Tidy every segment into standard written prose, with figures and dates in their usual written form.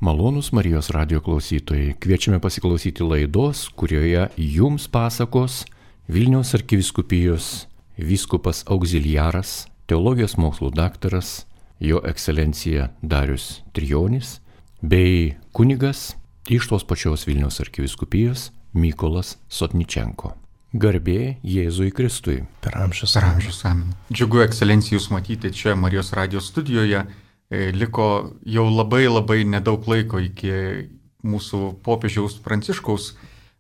Malonūs Marijos radijo klausytojai, kviečiame pasiklausyti laidos, kurioje jums pasakos Vilniaus arkivyskupijos vyskupas auxiliaras, teologijos mokslų daktaras, jo ekscelencija Darius Trijonis, bei kunigas iš tos pačios Vilniaus arkivyskupijos Mykolas Sotničenko. Garbė Jėzui Kristui. Per amžius. Amen. Džiugu, ekscelencija, jūs matyti čia Marijos radijo studijoje. Liko jau labai nedaug laiko iki mūsų popiežiaus Pranciškaus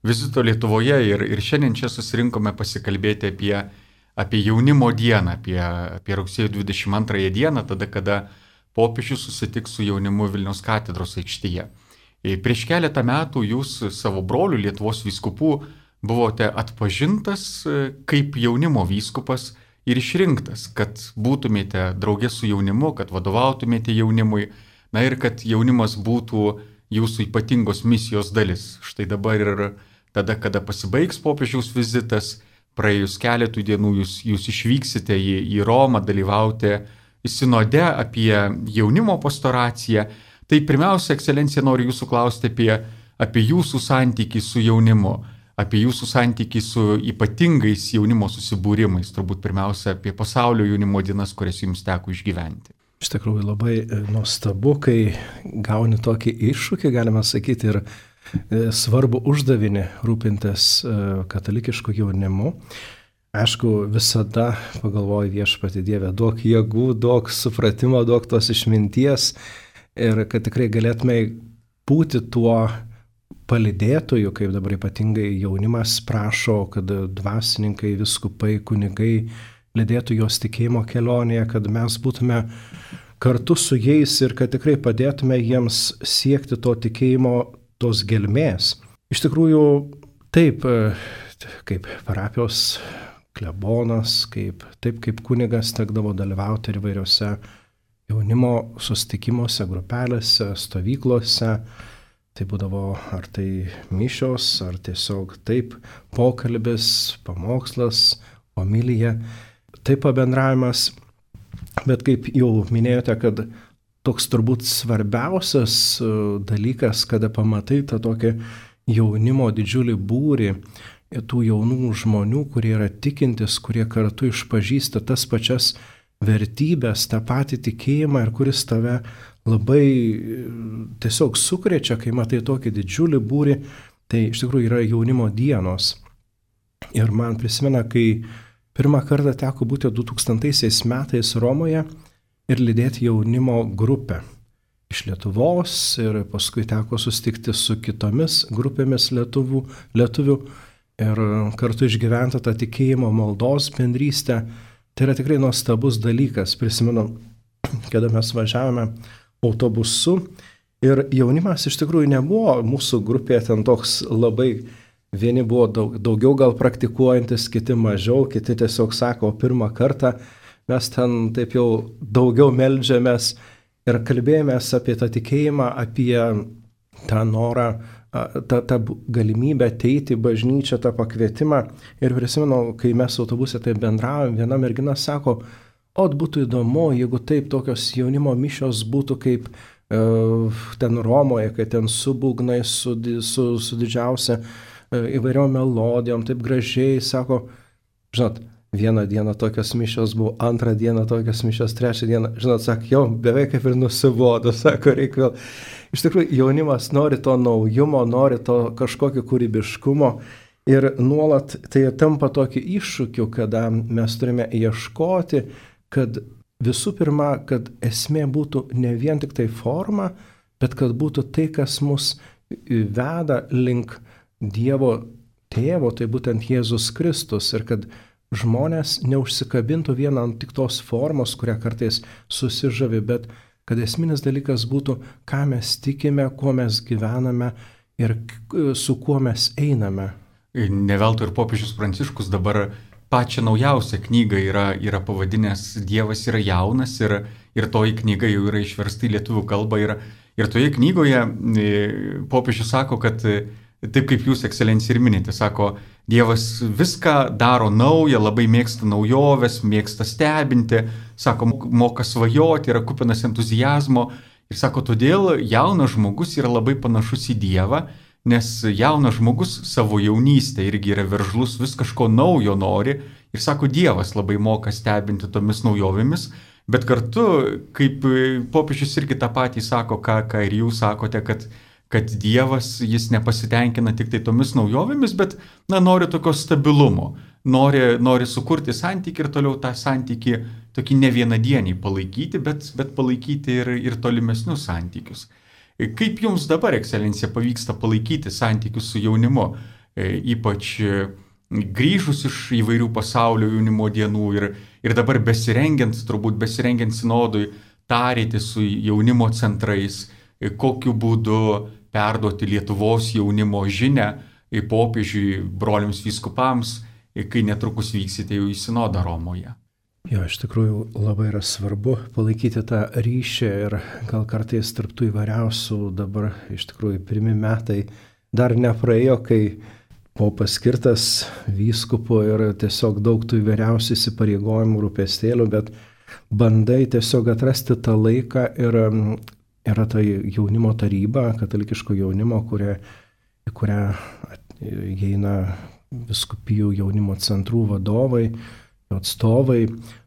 vizito Lietuvoje ir šiandien čia susirinkome pasikalbėti apie jaunimo dieną, apie rugsėjo 22 dieną, tada, kada popiežius susitiks su jaunimu Vilniaus katedros aikštėje. Prieš keletą metų jūs savo brolių Lietuvos vyskupų buvote atpažintas kaip jaunimo vyskupas ir išrinktas, kad būtumėte draugė su jaunimu, kad vadovautumėte jaunimui, na ir kad jaunimas būtų jūsų ypatingos misijos dalis. Štai dabar ir tada, kada pasibaigs popiežiaus vizitas, praėjus keletų dienų jūs išvyksite į Romą dalyvauti sinode apie jaunimo pastoraciją. Tai pirmiausia, ekscelencija, noriu jūsų klausti apie jūsų santykį su jaunimu, apie jūsų santykį su ypatingais jaunimo susibūrimais, turbūt pirmiausia apie pasaulio jaunimo dienas, kurias jums teko išgyventi. Iš tikrųjų labai nuostabu, kai gauni tokį iššūkį, galima sakyti, ir svarbu uždavinį rūpintis katalikišku jaunimu. Aišku, visada pagalvoju Viešpatie Dieve, duok jėgų, duok supratimo, duok tos išminties ir kad tikrai galėtume būti tuo palydėtojų, kaip dabar ypatingai jaunimas prašo, kad dvasininkai, viskupai, kunigai lydėtų jos tikėjimo kelionėje, kad mes būtume kartu su jais ir kad tikrai padėtume jiems siekti to tikėjimo, tos gelmės. Iš tikrųjų, taip, kaip parapijos klebonas, taip kaip kunigas tekdavo dalyvauti ir įvairiose jaunimo susitikimuose, grupelėse, stovyklose. Tai būdavo ar tai mišios, ar tiesiog taip pokalbis, pamokslas, homilija, taip pabendravimas. Bet kaip jau minėjote, kad toks turbūt svarbiausias dalykas, kada pamatai tą tokį jaunimo didžiulį būrį, tų jaunų žmonių, kurie yra tikintis, kurie kartu išpažįsta tas pačias vertybės, tą patį tikėjimą ir kuris tave labai tiesiog sukrečia, kai matai tokį didžiulį būrį, tai iš tikrųjų yra jaunimo dienos. Ir man prisimena, kai pirmą kartą teko būti 2000 metais Romoje ir lydėti jaunimo grupę iš Lietuvos ir paskui teko susitikti su kitomis grupėmis lietuvių ir kartu išgyventi tą tikėjimo maldos bendrystę. Tai yra tikrai nuostabus dalykas. Prisimenu, kada mes važiavome autobusu ir jaunimas iš tikrųjų nebuvo mūsų grupėje ten toks labai, vieni buvo daugiau gal praktikuojantis, kiti mažiau, kiti tiesiog sako, pirmą kartą mes ten taip jau daugiau meldžiamės ir kalbėjomės apie tą tikėjimą, apie tą norą, tą galimybę ateiti į bažnyčią, tą pakvietimą. Ir prisimenu, kai mes autobuse taip bendravom, viena mergina sako, būtų įdomu, jeigu taip tokios jaunimo mišios būtų kaip ten Romoje, kai ten su būgnai, su didžiausia įvairiom melodijom, taip gražiai, sako, žinot, vieną dieną tokios mišios buvo, antrą dieną tokios mišios, trečią dieną, žinot, sako, jau beveik kaip ir nusibodo, sako, reikia vėl. Iš tikrųjų, jaunimas nori to naujumo, nori to kažkokio kūrybiškumo. Ir nuolat tai tampa tokį iššūkių, kada mes turime ieškoti, kad visų pirma, kad esmė būtų ne vien tik tai forma, bet kad būtų tai, kas mus veda link Dievo Tėvo, tai būtent Jėzus Kristus, ir kad žmonės neužsikabintų vien ant tik tos formos, kurią kartais susižavi, bet kad esminis dalykas būtų, ką mes tikime, kuo mes gyvename ir su kuo mes einame. Ne veltui ir popiežius Pranciškus dabar pačią naujausią knygą yra pavadinęs Dievas yra jaunas ir toji knyga jau yra išversta į lietuvių kalbą ir toje knygoje popiežius sako, kad taip kaip jūs, ekscelencija, ir minite, sako, Dievas viską daro naują, labai mėgsta naujoves, mėgsta stebinti, sako, moka svajoti, yra kupinas entuzijazmo Ir sako, todėl jaunas žmogus yra labai panašus į Dievą, nes jaunas žmogus savo jaunystę irgi yra veržlus, vis kažko naujo nori. Ir sako, Dievas labai moka stebinti tomis naujovėmis, bet kartu, kaip popiežius irgi tą patį sako, ką ir jūs sakote, kad Dievas, jis nepasitenkina tik tai tomis naujovėmis, bet nori tokio stabilumo, nori sukurti santykį ir toliau tą santykį tokį ne vienadienį palaikyti, bet palaikyti ir tolimesnius santykius. Kaip jums dabar, ekscelencija, pavyksta palaikyti santykius su jaunimu, ypač grįžus iš įvairių pasaulio jaunimo dienų ir dabar besirengiant sinodui, tarėti su jaunimo centrais, kokiu būdu perduoti Lietuvos jaunimo žinią popiežiui, broliams vyskupams, kai netrukus vyksite jau į sinodą Romoje. Jo, iš tikrųjų labai yra svarbu palaikyti tą ryšį ir gal kartais tarp tų įvairiausių dabar iš tikrųjų pirmi metai dar nepraėjo, kai buvo paskirtas vyskupu ir tiesiog daug tų įvairiausių įsipareigojimų, rūpestėlių, bet bandai tiesiog atrasti tą laiką ir yra ta jaunimo taryba, katalikiško jaunimo, į kurią įeina vyskupijų jaunimo centrų vadovai, atstovai,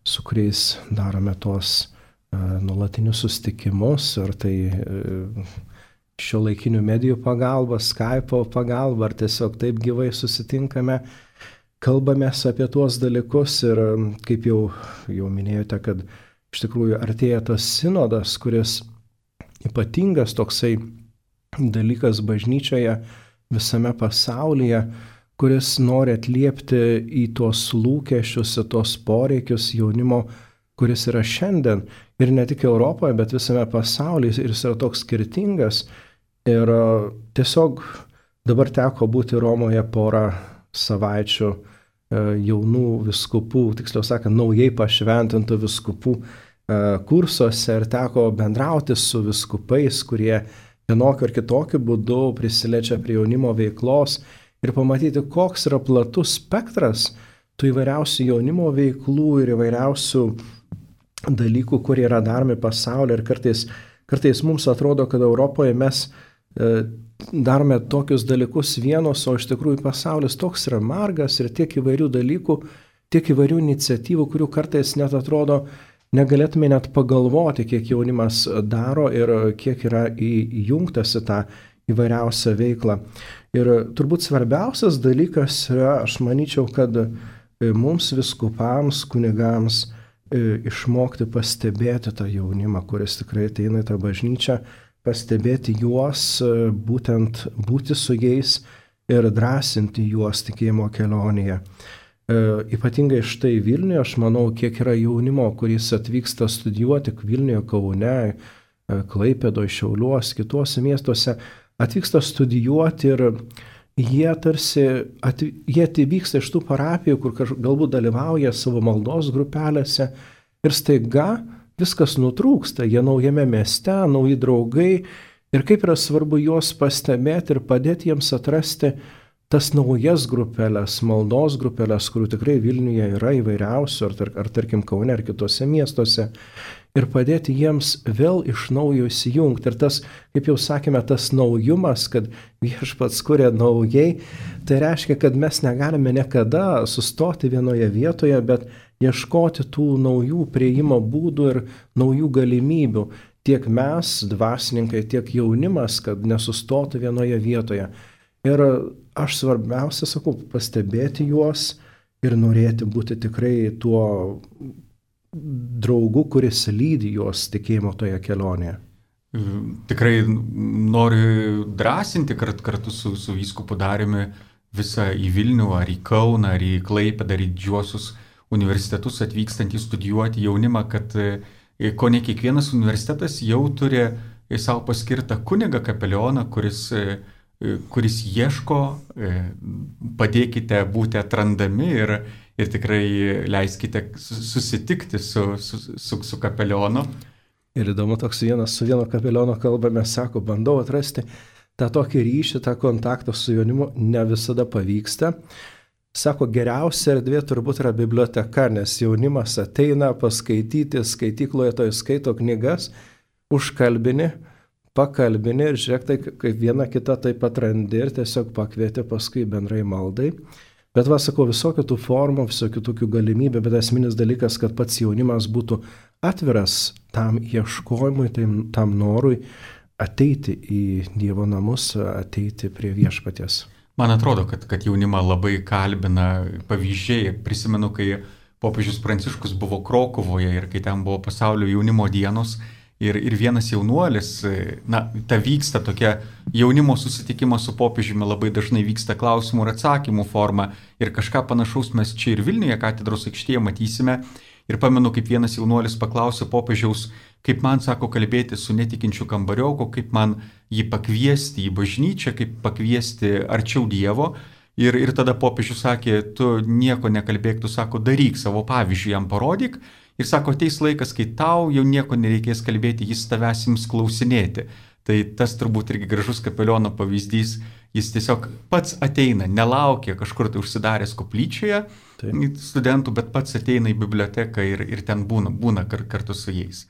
su kuriais darome tuos nuolatinius susitikimus, ar tai šiuolaikinių medijų pagalba, Skype'o pagalba, ar tiesiog taip gyvai susitinkame, kalbamės apie tuos dalykus ir kaip jau minėjote, kad iš tikrųjų artėja tas sinodas, kuris ypatingas toksai dalykas bažnyčioje visame pasaulyje, kuris nori atliepti į tuos lūkesčius, į tuos poreikius jaunimo, kuris yra šiandien ir ne tik Europoje, bet visame pasaulyje ir jis yra toks skirtingas. Ir tiesiog dabar teko būti Romoje porą savaičių jaunų vyskupų, tiksliau sakant, naujai pašventintų vyskupų kursuose ir teko bendrauti su vyskupais, kurie vienokiu ar kitokiu būdu prisiliečia prie jaunimo veiklos ir pamatyti, koks yra platus spektras tų įvairiausių jaunimo veiklų ir įvairiausių dalykų, kurie yra daromi pasaulyje. Ir kartais mums atrodo, kad Europoje mes darome tokius dalykus vienos, o iš tikrųjų pasaulis toks yra margas ir tiek įvairių dalykų, tiek įvairių iniciatyvų, kurių kartais net atrodo, negalėtume net pagalvoti, kiek jaunimas daro ir kiek yra įjungtas į tą įvairiausią veiklą. Ir turbūt svarbiausias dalykas yra, aš manyčiau, kad mums viskupams, kunigams išmokti pastebėti tą jaunimą, kuris tikrai ateina į tą bažnyčią, pastebėti juos, būtent būti su jais ir drąsinti juos tikėjimo kelionėje. Ypatingai štai Vilniuje, aš manau, kiek yra jaunimo, kuris atvyksta studijuoti Vilniuje, Kaune, Klaipėdoje, Šiauliuose, kituose miestuose, atvyksta studijuoti ir jie atvyksta iš tų parapijų, kur galbūt dalyvauja savo maldos grupelėse ir staiga viskas nutrūksta, jie naujame mieste, nauji draugai ir kaip yra svarbu juos pastebėti ir padėti jiems atrasti tas naujas grupelės, maldos grupelės, kurių tikrai Vilniuje yra įvairiausių, ar tarkim Kaune, ar kitose miestuose, ir padėti jiems vėl iš naujo įsijungti. Ir tas, kaip jau sakėme, tas naujumas, kad viešpats kuria naujai, tai reiškia, kad mes negalime niekada sustoti vienoje vietoje, bet ieškoti tų naujų prieimo būdų ir naujų galimybių. Tiek mes, dvasininkai, tiek jaunimas, kad nesustotų vienoje vietoje. Ir aš svarbiausia, sakau, pastebėti juos ir norėti būti tikrai tuo draugu, kuris lydi juos tikėjimo toje kelionėje. Tikrai noriu drąsinti kartu su vyskupu Dariumi visą į Vilnių, ar į Kauną, ar į Klaipėdą, ar į didžiuosius universitetus atvykstantį studijuoti jaunimą, kad ko ne kiekvienas universitetas jau turi savo paskirtą kunigą kapelioną, kuris ieško, padėkite būti atrandami ir tikrai leiskite susitikti su kapelionu. Ir įdomu, toks su vieno kapeliono kalbame, sako, bandau atrasti tą tokį ryšį, tą kontaktą su jaunimu, ne visada pavyksta. Sako, geriausia erdvė turbūt yra biblioteka, nes jaunimas ateina paskaityti, skaitykloje to skaito knygas, užkalbini, pakalbini ir žiūrėk, tai kaip viena kita taip atrandi ir tiesiog pakvieti paskui bendrai maldai. Bet sakau, visokių tų formų, visokių tokių galimybių, bet esminis dalykas, kad pats jaunimas būtų atviras tam ieškojimui, tam norui ateiti į Dievo namus, ateiti prie viešpaties. Man atrodo, kad jaunimą labai kalbina pavyzdžiai. Prisimenu, kai popiežius Pranciškus buvo Krokuvoje ir kai ten buvo pasaulio jaunimo dienos. Ir vienas jaunuolis, ta vyksta tokia jaunimo susitikimas su popiežiumi, labai dažnai vyksta klausimų ir atsakymų forma. Ir kažką panašaus mes čia ir Vilniuje katedros aikštėje matysime. Ir pamenu, kaip vienas jaunuolis paklausė popiežiaus, kaip man, sako, kalbėti su netikinčiu kambarioku, kaip man jį pakviesti į bažnyčią, kaip pakviesti arčiau Dievo. Ir tada popiežius sakė, tu nieko nekalbėk, tu, sako, daryk savo pavyzdžių, jam parodyk. Ir sako, ateis laikas, kai tau jau nieko nereikės kalbėti, jis tavęs ims klausinėti. Tai tas turbūt irgi gražus kapeliono pavyzdys, jis tiesiog pats ateina, nelaukia kažkur tai užsidaręs koplyčioje studentų, bet pats ateina į biblioteką ir ten būna kartu su jais.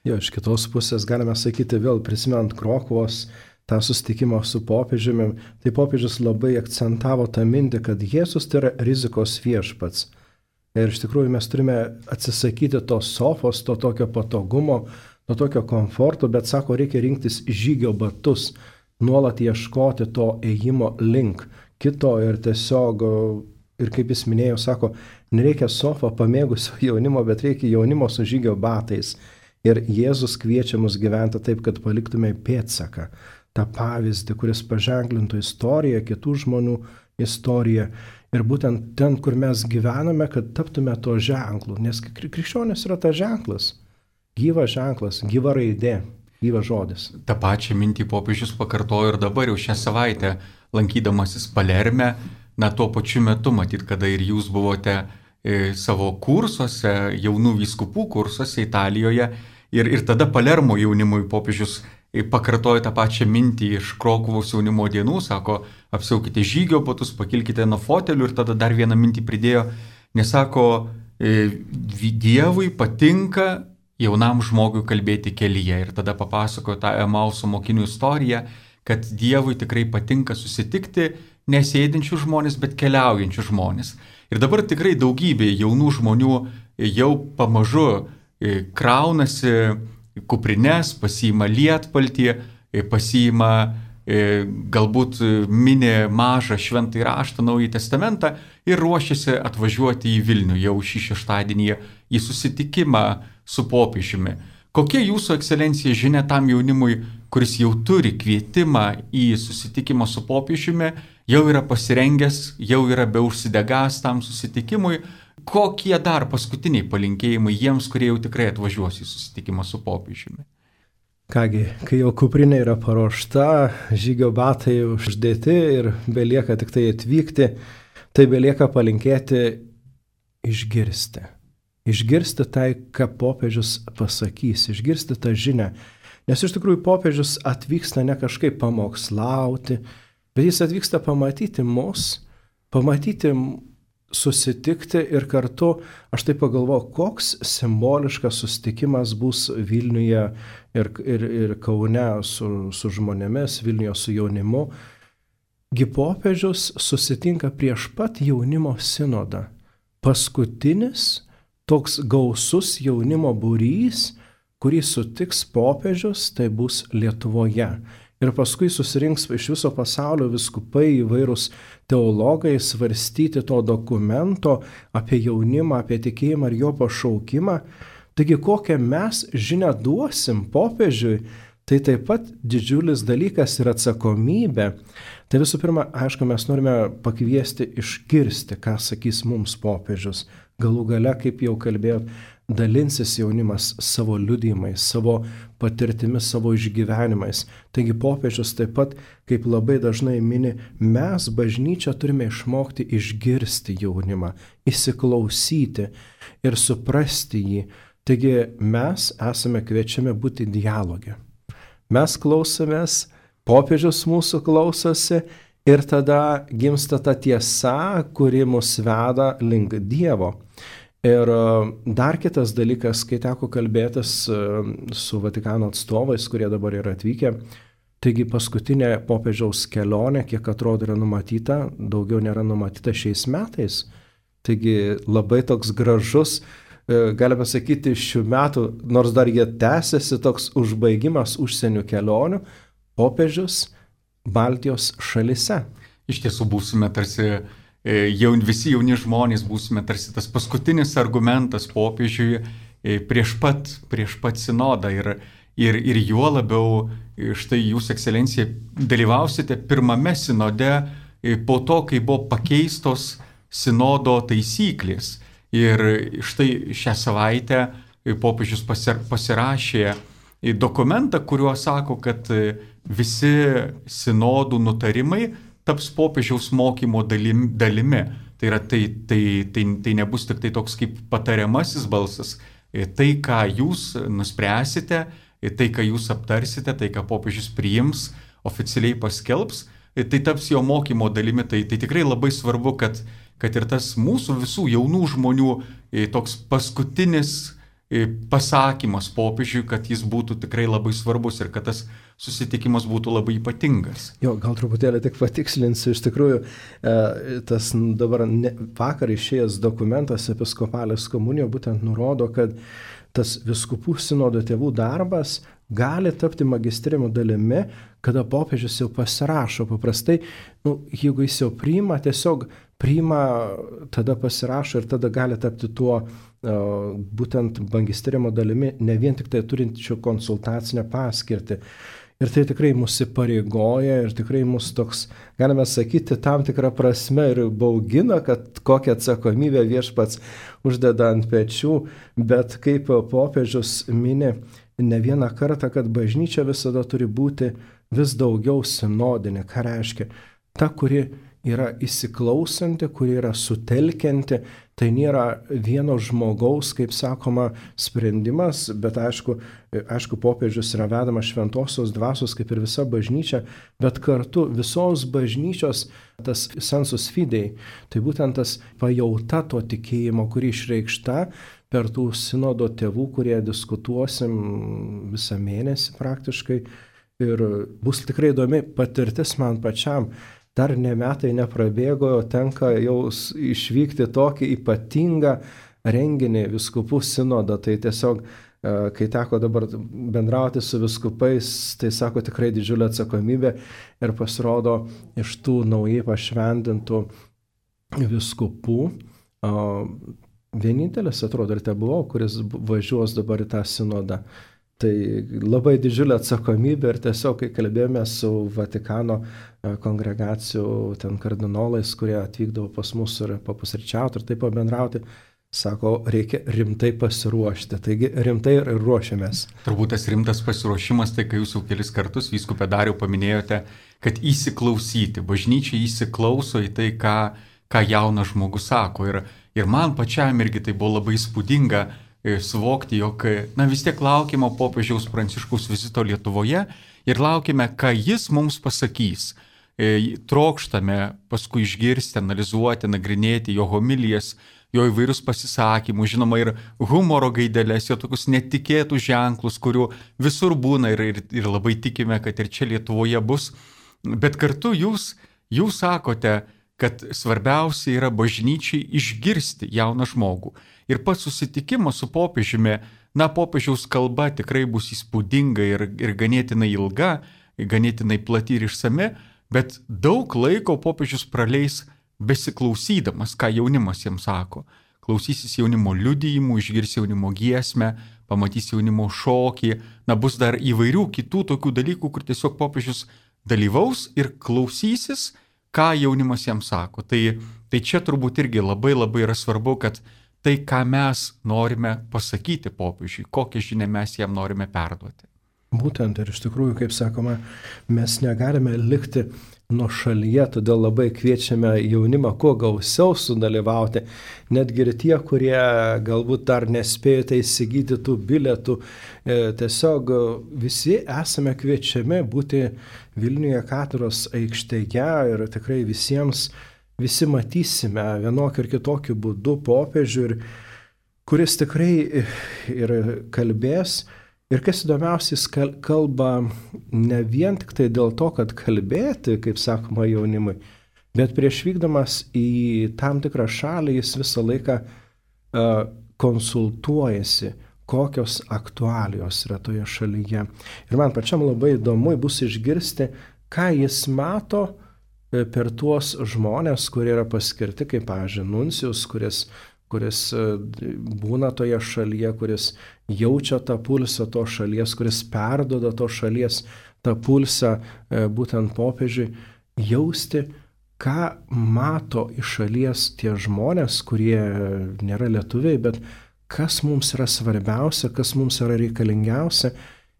Jo, iš kitos pusės galime sakyti vėl, prisimint Krokuvos tą susitikimą su popiežiumi, tai popiežius labai akcentavo tą mintį, kad Jėzus tai yra rizikos viešpats. Ir iš tikrųjų mes turime atsisakyti tos sofos, to tokio patogumo, to tokio komforto, bet sako, reikia rinktis žygio batus, nuolat ieškoti to ėjimo link kito ir tiesiog, ir kaip jis minėjo, sako, nereikia sofą pamėgusio jaunimo, bet reikia jaunimo su žygio batais. Ir Jėzus kviečia mus gyventi taip, kad paliktume pėdsaką, tą pavyzdį, kuris paženklintų istoriją, kitų žmonių istoriją. Ir būtent ten, kur mes gyvename, kad taptume to ženklu, nes krikščionis yra tas ženklas, gyva raidė, gyva žodis. Ta pačia mintį popiežius pakartojo ir dabar jau šią savaitę, lankydamasis Palerme, tuo pačiu metu, matyt, kada ir jūs buvote savo kursuose, jaunų vyskupų kursuose Italijoje, ir tada Palermo jaunimui popiežius pakartojo tą pačią mintį iš Krokuvos jaunimo dienų, sako, apsiaukite žygio batus, pakilkite nuo fotelių ir tada dar vieną mintį pridėjo, nes sako, Dievui patinka jaunam žmogui kalbėti kelyje. Ir tada papasakojo tą Emauso mokinių istoriją, kad Dievui tikrai patinka susitikti nesėdinčių žmonės, bet keliaujančių žmonės. Ir dabar tikrai daugybė jaunų žmonių jau pamažu kraunasi kuprines, pasiima lietpaltį, pasiima galbūt mini mažą šventąjį raštą, Naująjį testamentą ir ruošiasi atvažiuoti į Vilnių jau šį šeštadienį į susitikimą su popiežiumi. Kokia jūsų ekscelencija žinia tam jaunimui, kuris jau turi kvietimą į susitikimą su popiežiumi, jau yra pasirengęs, jau yra beužsidegęs tam susitikimui? Kokie dar paskutiniai palinkėjimai jiems, kurie jau tikrai atvažiuos į susitikimą su popiežiumi? Kągi, kai jau kuprinė yra paruošta, žygio batai uždėti ir belieka tik tai atvykti, tai belieka palinkėti išgirsti. Išgirsti tai, ką popiežius pasakys, išgirsti tą žinią. Nes iš tikrųjų popiežius atvyksta ne kažkaip pamokslauti, bet jis atvyksta pamatyti mus, pamatyti susitikti ir kartu, aš taip pagalvoju, koks simboliškas susitikimas bus Vilniuje ir Kaune su žmonėmis, Vilniuje su jaunimu. Gi popiežius susitinka prieš pat jaunimo sinodą. Paskutinis toks gausus jaunimo būrys, kurį sutiks popiežius, tai bus Lietuvoje. Ir paskui susirinks iš viso pasaulio vyskupai, įvairūs teologai svarstyti to dokumento apie jaunimą, apie tikėjimą ir jo pašaukimą. Taigi kokią mes žinią duosim popiežiui, tai taip pat didžiulis dalykas ir atsakomybė. Tai visų pirma, aišku, mes norime pakviesti išgirsti, ką sakys mums popiežius. Galų gale, kaip jau kalbėjot, dalinsis jaunimas savo liudijimais, savo patirtimis, savo išgyvenimais. Taigi popiežius taip pat, kaip labai dažnai mini, mes bažnyčia turime išmokti išgirsti jaunimą, įsiklausyti ir suprasti jį. Taigi mes esame kviečiami būti dialoge. Mes klausomės, popiežius mūsų klausosi ir tada gimsta ta tiesa, kuri mus veda link Dievo. Ir dar kitas dalykas, kai teko kalbėtis su Vatikano atstovais, kurie dabar yra atvykę, taigi paskutinė popiežiaus kelionė, kiek atrodo yra numatyta, daugiau nėra numatyta šiais metais. Taigi labai toks gražus, galime sakyti, šių metų, nors dar jie tęsiasi, toks užbaigimas užsienio kelionių, popiežius Baltijos šalise. Iš tiesų būsime tarsi visi jauni žmonės, būsime tarsi tas paskutinis argumentas popiežiui prieš pat sinodą ir juo labiau štai jūs, ekscelencija, dalyvausite pirmame sinode po to, kai buvo pakeistos sinodo taisyklės. Ir štai šią savaitę popiežius pasirašė dokumentą, kuriuo sako, kad visi sinodų nutarimai taps popiežiaus mokymo dalimi. Tai yra, tai nebus tik tai toks kaip patariamasis balsas. Tai, ką jūs nuspręsite, tai, ką jūs aptarsite, tai, ką popiežius priims, oficialiai paskelbs, tai taps jo mokymo dalimi. Tai tikrai labai svarbu, kad ir tas mūsų visų jaunų žmonių toks paskutinis pasakymas popiežiui, kad jis būtų tikrai labai svarbus ir kad tas susitikimas būtų labai ypatingas. Jo, gal truputėlį tik patikslinsiu, iš tikrųjų, tas dabar vakar išėjęs dokumentas Episkopalės komunijo būtent nurodo, kad tas vyskupų sinodo tėvų darbas gali tapti magistrimo dalimi, kada popiežius jau pasirašo. Paprastai, jeigu jis jau priima, tiesiog priima, tada pasirašo ir tada gali tapti tuo būtent magistrimo dalimi, ne vien tik tai turinčių konsultacinę paskirtį. Ir tai tikrai mus įpareigoja ir tikrai mus toks, galime sakyti, tam tikrą prasme ir baugina, kad kokią atsakomybę viešpats uždeda ant pečių, bet kaip popiežius mini ne vieną kartą, kad bažnyčia visada turi būti vis daugiau sinodinė. Ką reiškia? Ta, kuri yra įsiklausanti, kuri yra sutelkianti, tai nėra vieno žmogaus, kaip sakoma, sprendimas, bet aišku, popiežius yra vedamas šventosios dvasios, kaip ir visa bažnyčia, bet kartu visos bažnyčios tas sensus fidei, tai būtent tas pajauta to tikėjimo, kuri išreikšta per tų sinodo tėvų, kurie diskutuosim visą mėnesį praktiškai, ir bus tikrai įdomi patirtis man pačiam. Dar ne metai neprabėgo, tenka jau išvykti tokį ypatingą renginį vyskupų sinodą. Tai tiesiog, kai teko dabar bendrauti su vyskupais, tai sako tikrai didžiulė atsakomybė ir pasirodo iš tų naujai pašventintų vyskupų. Vienintelis, atrodo, ir te buvau, kuris važiuos dabar į tą sinodą. Tai labai didžiulė atsakomybė ir tiesiog, kai kalbėjome su Vatikano kongregacijų ten kardinolais, kurie atvykdavo pas mus ir papusryčiauti ir taip pabendrauti, sako, reikia rimtai pasiruošti. Taigi rimtai ir ruošiamės. Turbūt tas rimtas pasiruošimas, tai kai jūs jau kelis kartus, vyskupe Dariau, paminėjote, kad įsiklausyti. Bažnyčia įsiklauso į tai, ką jaunas žmogus sako. Ir man pačiam irgi tai buvo labai įspūdinga suvokti, jog vis tiek laukiame popiežiaus Pranciškaus vizito Lietuvoje ir laukime, ką jis mums pasakys. Trokštame paskui išgirsti, analizuoti, nagrinėti jo homilijas, jo įvairius pasisakymus, žinoma ir humoro gaidelės, jo tokius netikėtus ženklus, kurių visur būna ir labai tikime, kad ir čia Lietuvoje bus. Bet kartu jūs sakote, kad svarbiausia yra bažnyčiai išgirsti jauną žmogų. Ir pats susitikimas su popiežiumi, popiežiaus kalba tikrai bus įspūdinga ir ganėtinai ilga, ganėtinai plati ir išsami, bet daug laiko popiežius praleis besiklausydamas, ką jaunimas jiems sako. Klausysis jaunimo liudijimų, išgirs jaunimo giesmę, pamatys jaunimo šokį, bus dar įvairių kitų tokių dalykų, kur tiesiog popiežius dalyvaus ir klausysis, ką jaunimas jam sako. Tai čia turbūt irgi labai yra svarbu, kad tai, ką mes norime pasakyti popiežiui, kokią žinią mes jam norime perduoti. Būtent ir iš tikrųjų, kaip sakoma, mes negalime likti nuošalyje, todėl labai kviečiame jaunimą kuo gausiau sudalyvauti, netgi ir tie, kurie galbūt dar nespėjote įsigyti tų bilietų, tiesiog visi esame kviečiami būti Vilniuje katedros aikštėje ir tikrai visi matysime vienokį ir kitokį būdų popiežių ir kuris tikrai ir kalbės. Ir kas įdomiausia, jis kalba ne vien tik tai dėl to, kad kalbėti, kaip sakoma jaunimui, bet prieš vykdamas į tam tikrą šalį jis visą laiką konsultuojasi, kokios aktualijos yra toje šalyje. Ir man pačiam labai įdomu bus išgirsti, ką jis mato per tuos žmonės, kurie yra paskirti, kaip, pavyzdžiui, nuncijus, kuris būna toje šalyje, kuris jaučia tą pulsą to šalies, kuris perduoda to šalies tą pulsą būtent popiežiui, jausti, ką mato iš šalies tie žmonės, kurie nėra lietuviai, bet kas mums yra svarbiausia, kas mums yra reikalingiausia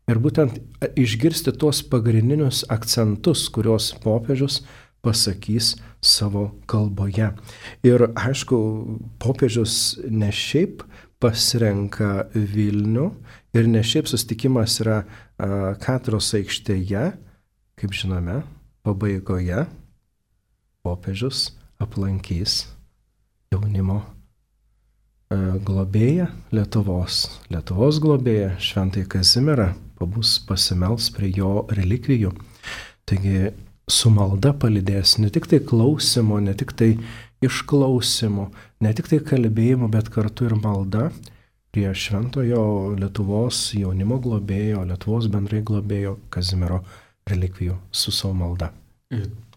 ir būtent išgirsti tuos pagrindinius akcentus, kuriuos popiežius pasakys savo kalboje. Ir aišku, popiežius ne šiaip pasirenka Vilnių ir ne šiaip susitikimas yra Katedros aikštėje, kaip žinome, pabaigoje popiežius aplankys jaunimo globėją Lietuvos globėją Šventąjį Kazimierą, pabus pasimels prie jo relikvijų. Taigi su malda palydės ne tik tai klausimo, ne tik tai išklausimo, ne tik tai kalbėjimo, bet kartu ir malda prie Šventojo Lietuvos jaunimo globėjo, Lietuvos bendrai globėjo Kazimiero relikvijų su savo malda.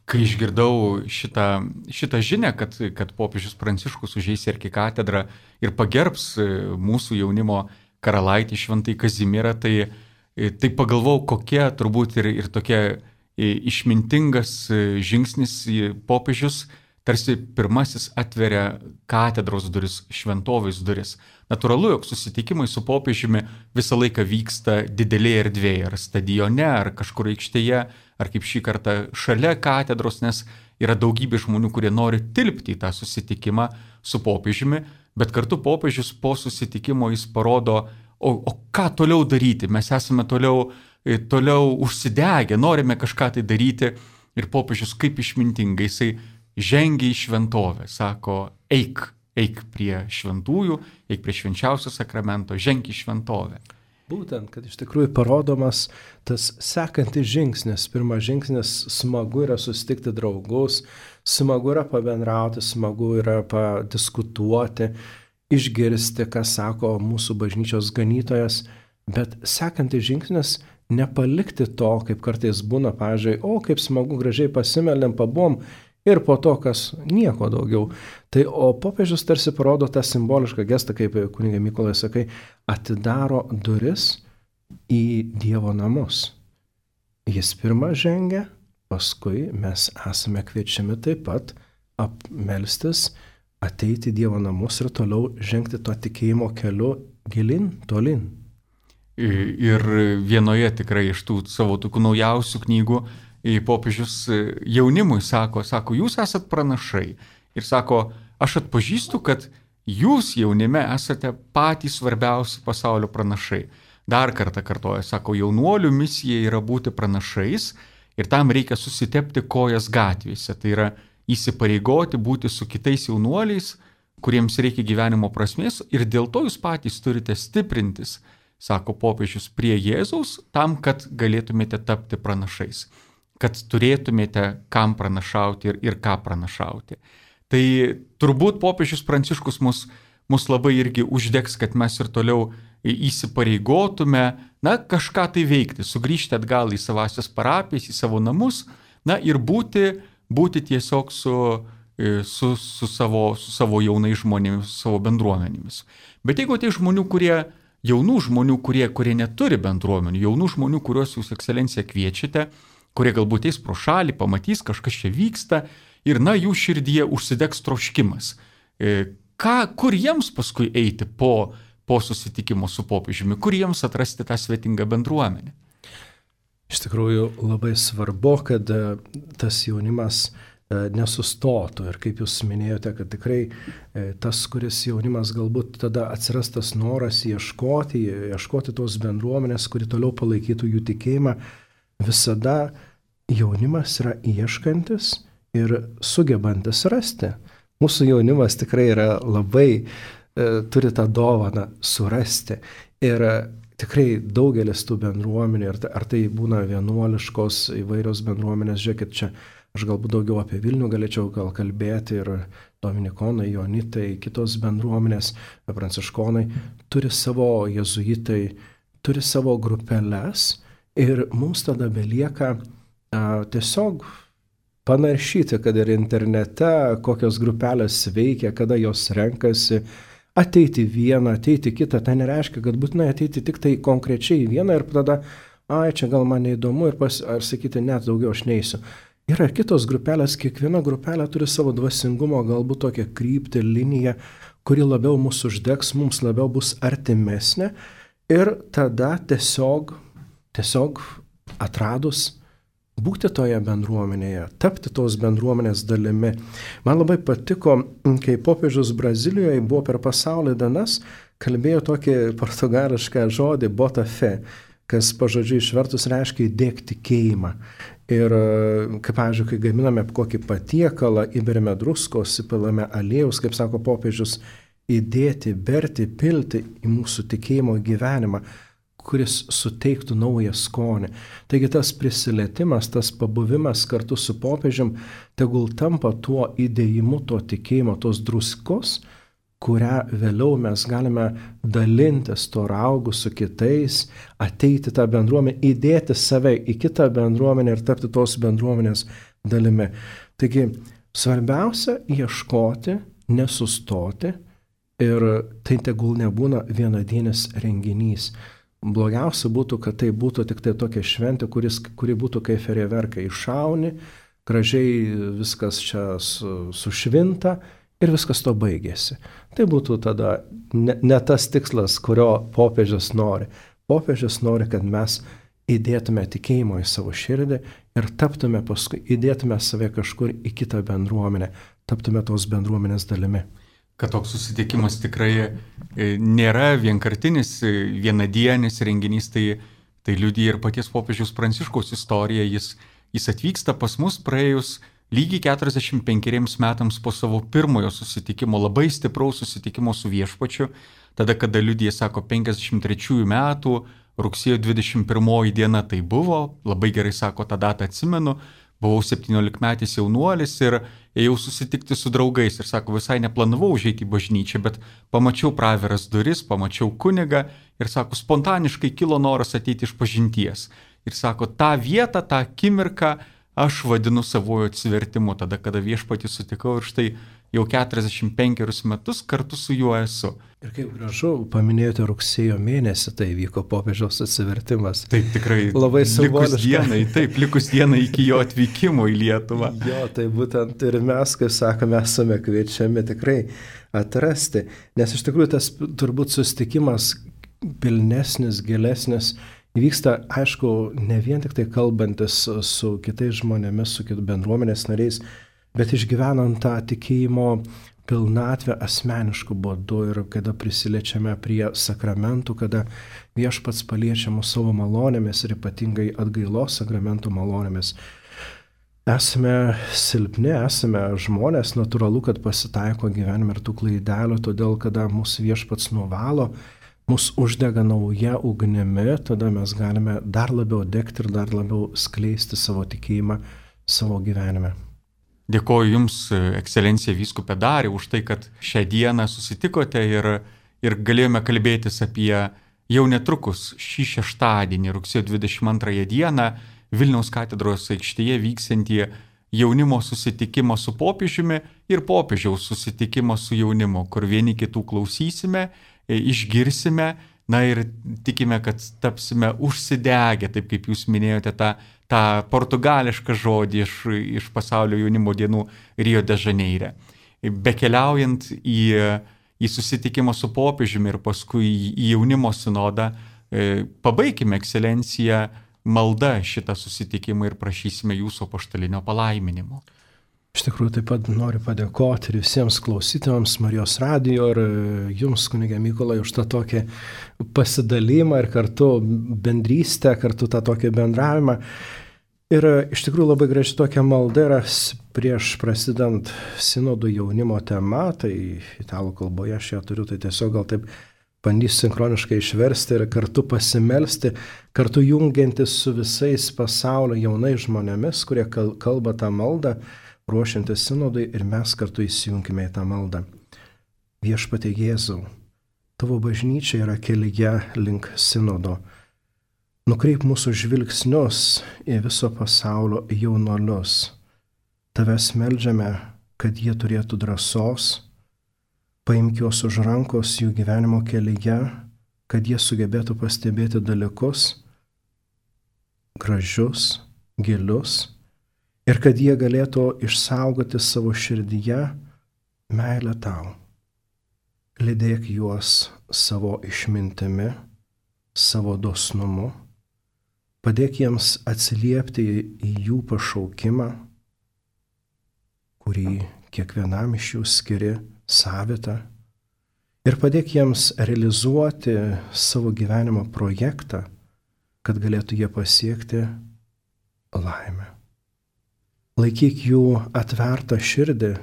Kai išgirdau šitą žinią, kad popiežius Pranciškus užeis į arkikatedrą ir pagerbs mūsų jaunimo karalaitį Šventąjį Kazimierą, tai pagalvojau, kokia turbūt ir tokia išmintingas žingsnis popiežius, tarsi pirmasis atveria katedros duris, šventovės duris. Natūralu, jog susitikimai su popiežiumi visą laiką vyksta didelėje erdvėje, ar stadione, ar kažkur aikštėje, ar kaip šį kartą šalia katedros, nes yra daugybė žmonių, kurie nori tilpti į tą susitikimą su popiežiumi, bet kartu popiežius po susitikimo jis parodo, o ką toliau daryti, mes esame toliau užsidegę, norime kažką tai daryti ir popiežius kaip išmintingai, jisai žengia į šventovę, sako, eik prie šventųjų, eik prie švenčiausio sakramento, ženk į šventovę. Būtent, kad iš tikrųjų parodomas tas sekantis žingsnis. Pirmas žingsnis smagu yra susitikti draugus, smagu yra pabendrauti, smagu yra padiskutuoti, išgirsti, ką sako mūsų bažnyčios ganytojas, bet sekantis žingsnis nepalikti to, kaip kartais būna, pavyzdžiui, kaip smagu, gražiai pasimeldėm, pabuvom ir po to, kas nieko daugiau. Tai o popiežius tarsi parodo tą simbolišką gestą, kaip kunigai Mykolai sakai, atidaro duris į Dievo namus. Jis pirmą žengia, paskui mes esame kviečiami taip pat apmelstis, ateiti į Dievo namus ir toliau žengti to tikėjimo keliu gilin, tolin. Ir vienoje tikrai iš tų savo tokių naujausių knygų popiežius jaunimui sako, jūs esat pranašai. Ir sako, aš atpažįstu, kad jūs jaunime esate patys svarbiausi pasaulio pranašai. Dar kartą kartoja, sako, jaunuolių misija yra būti pranašais ir tam reikia susitepti kojas gatvėse. Tai yra įsipareigoti būti su kitais jaunuoliais, kuriems reikia gyvenimo prasmės ir dėl to jūs patys turite stiprintis, sako popiežius, prie Jėzaus, tam, kad galėtumėte tapti pranašais, kad turėtumėte kam pranašauti ir ką pranašauti. Tai turbūt popiežius Pranciškus mus labai irgi uždegs, kad mes ir toliau įsipareigotume, kažką tai veikti, sugrįžti atgal į savasias parapijas, į savo namus, ir būti tiesiog su savo jaunais žmonėmis, su savo bendruomenėmis. Bet jeigu tai jaunų žmonių, kurie neturi bendruomenių, jaunų žmonių, kuriuos jūs, ekscelencija, kviečiate, kurie galbūt eis pro šalį, pamatys, kažkas čia vyksta ir, jų širdyje užsidegs troškimas. Kur jiems paskui eiti po susitikimo su popiežiumi, kur jiems atrasti tą svetingą bendruomenę? Iš tikrųjų labai svarbu, kad tas jaunimas nesustotų ir kaip jūs minėjote, kad tikrai tas, kuris jaunimas galbūt tada atsiras tas noras ieškoti tos bendruomenės, kuri toliau palaikytų jų tikėjimą, visada jaunimas yra ieškantis ir sugebantis rasti. Mūsų jaunimas tikrai yra labai turi tą dovaną surasti. Ir tikrai daugelis tų bendruomenių, ar tai būna vienuoliškos įvairios bendruomenės, žiūrėkit, čia aš galbūt daugiau apie Vilnių galėčiau gal kalbėti, ir dominikonai, jonitai, kitos bendruomenės, pranciškonai, turi savo jezuitai, turi savo grupeles, ir mums tada belieka tiesiog panaršyti, kad ir internete kokios grupelės veikia, kada jos renkasi, ateiti vieną, ateiti kitą. Tai nereiškia, kad būtinai ateiti tik tai konkrečiai vieną ir tada, čia gal man neįdomu, ar sakyti, net daugiau aš neisiu. Yra kitos grupelės, kiekviena grupelė turi savo dvasingumo, galbūt tokią kryptį, liniją, kuri labiau mūsų uždegs, mums labiau bus artimesnė, ir tada tiesiog atradus būti toje bendruomenėje, tapti tos bendruomenės dalimi. Man labai patiko, kai popiežius Brazilijoje buvo per pasaulio dienas, kalbėjo tokį portugališką žodį bota fé, kas pažodžiui išvertus reiškia įdėk tikėjimą. Ir kaip, pavyzdžiui, kai gaminame kokį patiekalą, įberiame druskos, įpilame aliejaus, kaip sako popiežius, įdėti, berti, pilti į mūsų tikėjimo gyvenimą, kuris suteiktų naują skonį. Taigi tas prisilietimas, tas pabuvimas kartu su popiežium tegul tampa tuo įdėjimu, to tikėjimo, tos druskos, kurią vėliau mes galime dalintis to raugu su kitais, ateiti tą bendruomenę, įdėti save į kitą bendruomenę ir tapti tos bendruomenės dalimi. Taigi svarbiausia ieškoti, nesustoti, ir tai tegul nebūna vienadienis renginys. Blogiausia būtų, kad tai būtų tik tai tokia šventė, kuri būtų kaip fejerverkai, iššauni, gražiai viskas čia sušvinta ir viskas to baigėsi. Tai būtų tada ne tas tikslas, kurio popiežius nori. Popiežius nori, kad mes įdėtume tikėjimo į savo širdį ir taptume paskui, įdėtume save kažkur į kitą bendruomenę, taptume tos bendruomenės dalimi. Kad toks susitikimas tikrai nėra vienkartinis, vienadienis renginys, tai liudija ir paties popiežiaus Pranciškaus istorija. Jis atvyksta pas mus praėjus lygiai 45 metams po savo pirmojo susitikimo, labai stipraus susitikimo su viešpačiu, tada, kada liudija, sako, 53 metų, rugsėjo 21 diena tai buvo, labai gerai sako, tą datą atsimenu. Buvau 17-metis jaunuolis ir ėjau susitikti su draugais ir sako, visai neplanavau užeiti į bažnyčią, bet pamačiau praviras duris, pamačiau kunigą ir sako, spontaniškai kilo noras ateiti iš pažinties. Ir sako, tą vietą, tą akimirką aš vadinu savojo atsivertimu, tada, kada viešpatį sutikau ir štai jau 45 metus kartu su juo esu. Ir kaip gražu, paminėjote rugsėjo mėnesį, tai vyko popiežiaus atsivertimas. Taip, tikrai. Labai simboliška. Likus dienai iki jo atvykimo į Lietuvą. Jo, tai būtent ir mes, kaip sakome, esame kviečiami tikrai atrasti, nes iš tikrųjų tas turbūt susitikimas pilnesnis, gilesnis, vyksta, aišku, ne vien tik tai kalbantis su kitais žmonėmis, su kitų bendruomenės nariais, bet išgyvenant tą tikėjimo pilnatvę asmeniškų būdų ir kada prisiliečiame prie sakramentų, kada viešpats paliečia mus savo malonėmis ir ypatingai atgailos sakramentų malonėmis. Esame silpni, esame žmonės, natūralu, kad pasitaiko gyvenime ir tų klaidelių, todėl kada mūsų viešpats nuvalo, mus uždega nauja ugnimi, tada mes galime dar labiau degti ir dar labiau skleisti savo tikėjimą savo gyvenime. Dėkoju Jums, ekscelencija vyskupė Dariau, už tai, kad šią dieną susitikote ir galėjome kalbėtis apie jau netrukus šį šeštadienį, rugsėjo 22 dieną, Vilniaus katedros aikštėje vyksiantį jaunimo susitikimą su popiežiumi ir popiežiaus susitikimą su jaunimu, kur vieni kitų klausysime, išgirsime, na ir tikime, kad tapsime užsidegę, taip kaip Jūs minėjote tą portugališką žodį iš pasaulio jaunimo dienų Rio de Žaneire. Bekeliaujant į susitikimą su popiežiumi ir paskui į jaunimo sinodą, pabaikime, ekscelencija, malda šitą susitikimą ir prašysime Jūsų apaštalinio palaiminimo. Iš tikrųjų taip pat noriu padėkoti ir visiems klausytojams Marijos radijo ir Jums, kunige Mykolai, už tą tokį pasidalymą ir kartu bendrystę, kartu tą tokį bendravimą. Ir iš tikrųjų labai graži tokia malda yra prieš prasidant sinodų jaunimo tema, tai italų kalboje aš ją turiu, tai tiesiog gal taip bandysiu sinchroniškai išversti ir kartu pasimelsti, kartu jungiantis su visais pasaulio jaunais žmonėmis, kurie kalba tą maldą, ruošiantis sinodui ir mes kartu įsijunkime į tą maldą. Viešpatie Jėzau, tavo bažnyčia yra kelyje link sinodo. Nukreip mūsų žvilgsnius į viso pasaulio jaunuolius. Tavęs meldžiame, kad jie turėtų drąsos, paimk juos už rankos jų gyvenimo kelyje, kad jie sugebėtų pastebėti dalykus gražius, gilius ir kad jie galėtų išsaugoti savo širdyje meilę tau. Lydėk juos savo išmintimi, savo dosnumu. Padėk jiems atsiliepti į jų pašaukimą, kurį kiekvienam iš jų skiri savitą. Ir padėk jiems realizuoti savo gyvenimo projektą, kad galėtų jie pasiekti laimę. Laikyk jų atvertą širdį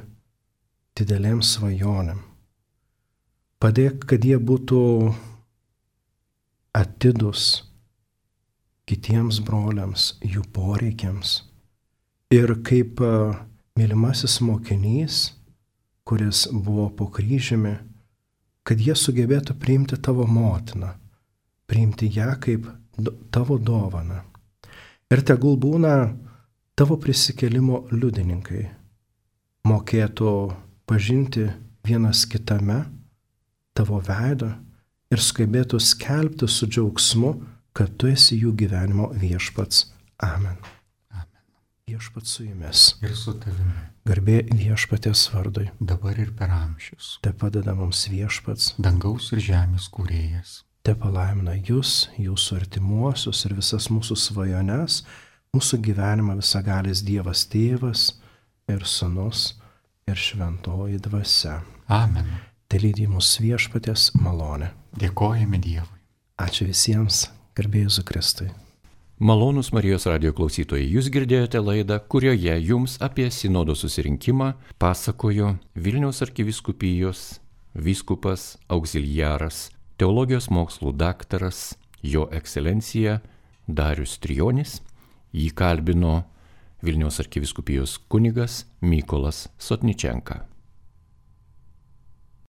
didelėm svajonėm. Padėk, kad jie būtų atidus kitiems broliams, jų poreikiams. Ir kaip mylimasis mokinys, kuris buvo po kryžiumi, kad jie sugebėtų priimti tavo motiną, priimti ją kaip tavo dovaną. Ir tegul būna tavo prisikėlimo liudininkai, mokėtų pažinti vienas kitame tavo veidą ir sugebėtų skelbti su džiaugsmu, kad tu esi jų gyvenimo viešpats. Amen. Amen. Viešpats su jumis. Ir su tavimi. Garbė viešpaties vardui. Dabar ir per amžius. Te padeda mums viešpats. Dangaus ir žemės kūrėjas. Te palaimina jūs, jūsų artimuosius ir visas mūsų svajones, mūsų gyvenimą visagalis Dievas Tėvas ir Sūnus ir Šventoji Dvasia. Amen. Te lydi mus viešpaties malonė. Dėkojame Dievui. Ačiū visiems. Garbė Jėzui Kristui. Malonūs Marijos radijo klausytojai, jūs girdėjote laidą, kurioje jums apie sinodo susirinkimą pasakojo Vilniaus arkivyskupijos vyskupas auxiliaras, teologijos mokslų daktaras, jo ekscelencija Darius Trijonis. Jį kalbino Vilniaus arkivyskupijos kunigas Mykolas Sotničenka.